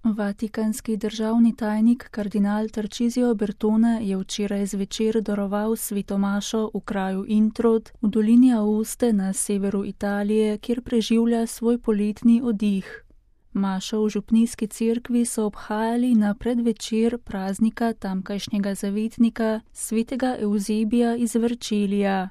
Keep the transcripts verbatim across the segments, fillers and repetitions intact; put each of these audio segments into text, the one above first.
Vatikanski državni tajnik kardinal Tarcisio Bertone je včeraj zvečer daroval svetomašo v kraju Introd v dolini Aoste na severu Italije, kjer preživlja svoj poletni oddih. Mašo v župnijski cerkvi so obhajali na predvečer praznika tamkajšnjega zavetnika svetega Evzebija iz Vercelija.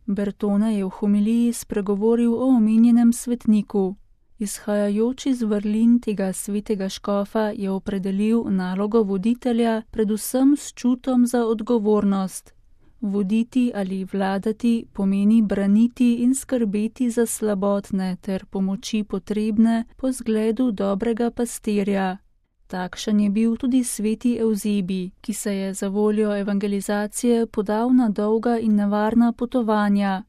Bertone je v homiliji spregovoril o omenjenem svetniku. Izhajajoč iz vrlin tega svetega škofa je opredelil nalogo voditelja predvsem s čutom za odgovornost. Voditi ali vladati pomeni braniti in skrbeti za slabotne ter pomoči potrebne po zgledu dobrega pastirja. Takšen je bil tudi sveti Evzebij, ki se je za voljo evangelizacije podal na dolga in nevarna potovanja.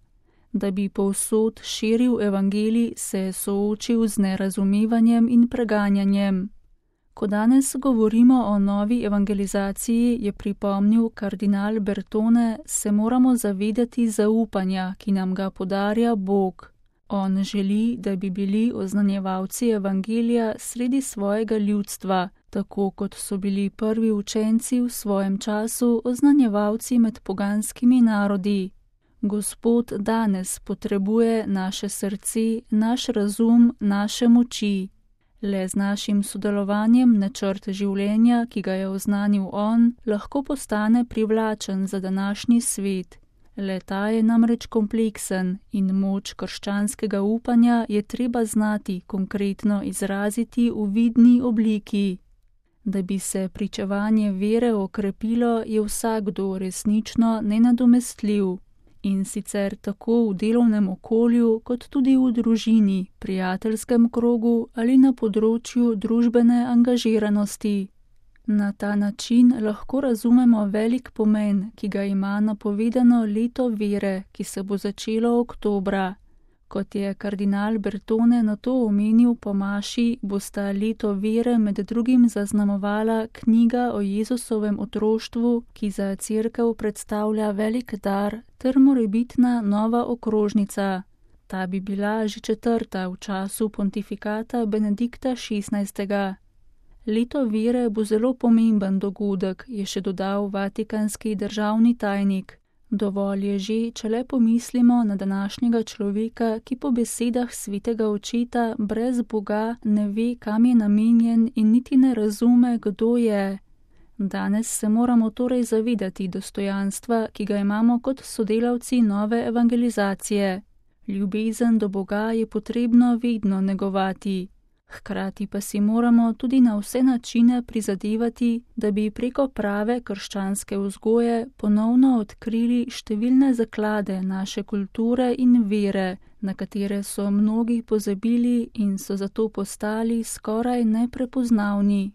Da bi povsod širil evangelij, se je soočil z nerazumevanjem in preganjanjem. Ko danes govorimo o novi evangelizaciji, je pripomnil kardinal Bertone, se moramo zavedati zaupanja, ki nam ga podarja Bog. On želi, da bi bili oznanjevalci evangelija sredi svojega ljudstva, tako kot so bili prvi učenci v svojem času oznanjevalci med poganskimi narodi. Gospod danes potrebuje naše srce, naš razum, naše moči. Le z našim sodelovanjem načrt življenja, ki ga je oznanil on, lahko postane privlačen za današnji svet. Le ta je namreč kompleksen in moč krščanskega upanja je treba znati konkretno izraziti v vidni obliki. Da bi se pričevanje vere okrepilo, je vsakdo resnično nenadomestljiv. In sicer tako v delovnem okolju, kot tudi v družini, prijateljskem krogu ali na področju družbene angažiranosti. Na ta način lahko razumemo velik pomen, ki ga ima napovedano leto vere, ki se bo začelo oktobra. Kot je kardinal Bertone na to omenil po maši, bosta leto vere med drugim zaznamovala knjiga o Jezusovem otroštvu, ki za cerkev predstavlja velik dar, ter morebitna nova okrožnica. Ta bi bila že četrta v času pontifikata Benedikta šestnajstega. Leto vere bo zelo pomemben dogodek, je še dodal vatikanski državni tajnik. Dovolj je že, če le pomislimo na današnjega človeka, ki po besedah svetega očeta brez Boga ne ve, kam je namenjen in niti ne razume, kdo je. Danes se moramo torej zavedati dostojanstva, ki ga imamo kot sodelavci nove evangelizacije. Ljubezen do Boga je potrebno vedno negovati. Hkrati pa si moramo tudi na vse načine prizadevati, da bi preko prave krščanske vzgoje ponovno odkrili številne zaklade naše kulture in vere, na katere so mnogi pozabili in so zato postali skoraj neprepoznavni.